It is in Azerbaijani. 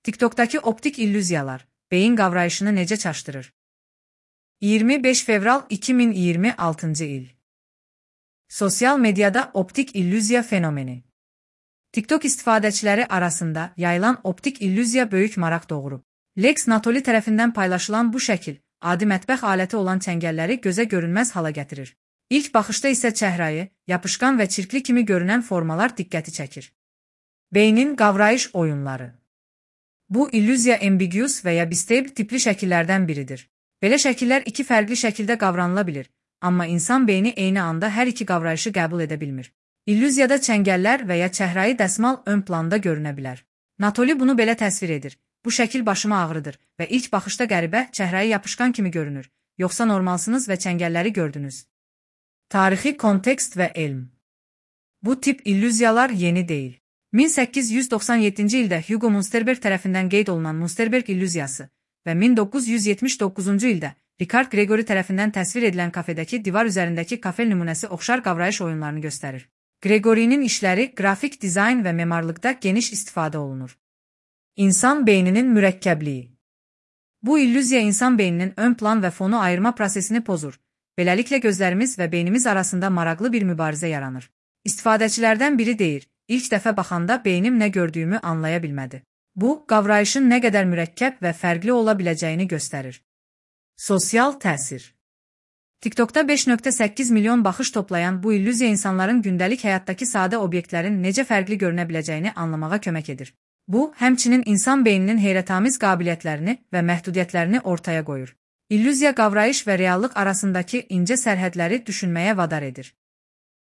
TikTok'dakı optik illüziyalar, beyin qavrayışını necə çaşdırır? 25 fevral 2026 il. Sosial medyada optik illüziya fenomeni. TikTok istifadəçiləri arasında yayılan optik illüziya böyük maraq doğurub. Lex Natoli tərəfindən paylaşılan bu şəkil, adi mətbəx aləti olan çəngəlləri gözə görünməz hala gətirir. İlk baxışda isə çəhrayı, yapışqan və çirkli kimi görünən formalar diqqəti çəkir. Beynin qavrayış oyunları. Bu illüziya ambiguous və ya bistable tipli şəkillərdən biridir. Belə şəkillər iki fərqli şəkildə qavranıla bilir, amma insan beyni eyni anda hər iki qavrayışı qəbul edə bilmir. İllüziyada çəngəllər və ya çəhrayı dəsmal ön planda görünə bilər. Natoli bunu belə təsvir edir. Bu şəkil başımı ağrıdır və ilk baxışda qəribə, çəhrayı yapışqan kimi görünür. Yoxsa normalsınız və çəngəlləri gördünüz. Tarixi kontekst və elm. Bu tip illüziyalar yeni deyil. 1897-ci ildə Hugo Munsterberg tərəfindən qeyd olunan Munsterberg illüziyası və 1979-cu ildə Richard Gregory tərəfindən təsvir edilən kafedəki divar üzərindəki kafel nümunəsi oxşar qavrayış oyunlarını göstərir. Gregory'nin işləri qrafik dizayn və memarlıqda geniş istifadə olunur. İnsan beyninin mürəkkəbliyi. Bu illüziya insan beyninin ön plan və fonu ayırma prosesini pozur. Beləliklə gözlərimiz və beynimiz arasında maraqlı bir mübarizə yaranır. İstifadəçilərdən biri deyir, ilk dəfə baxanda beynim nə gördüyümü anlaya bilmədi. Bu, qavrayışın nə qədər mürəkkəb və fərqli ola biləcəyini göstərir. Sosial təsir. TikTok'da 5.8 milyon baxış toplayan bu illüziya insanların gündəlik həyatdakı sadə obyektlərin necə fərqli görünə biləcəyini anlamağa kömək edir. Bu, həmçinin insan beyninin heyrətamiz qabiliyyətlərini və məhdudiyyətlərini ortaya qoyur. İllüziya qavrayış və reallıq arasındakı incə sərhədləri düşünməyə vadar edir.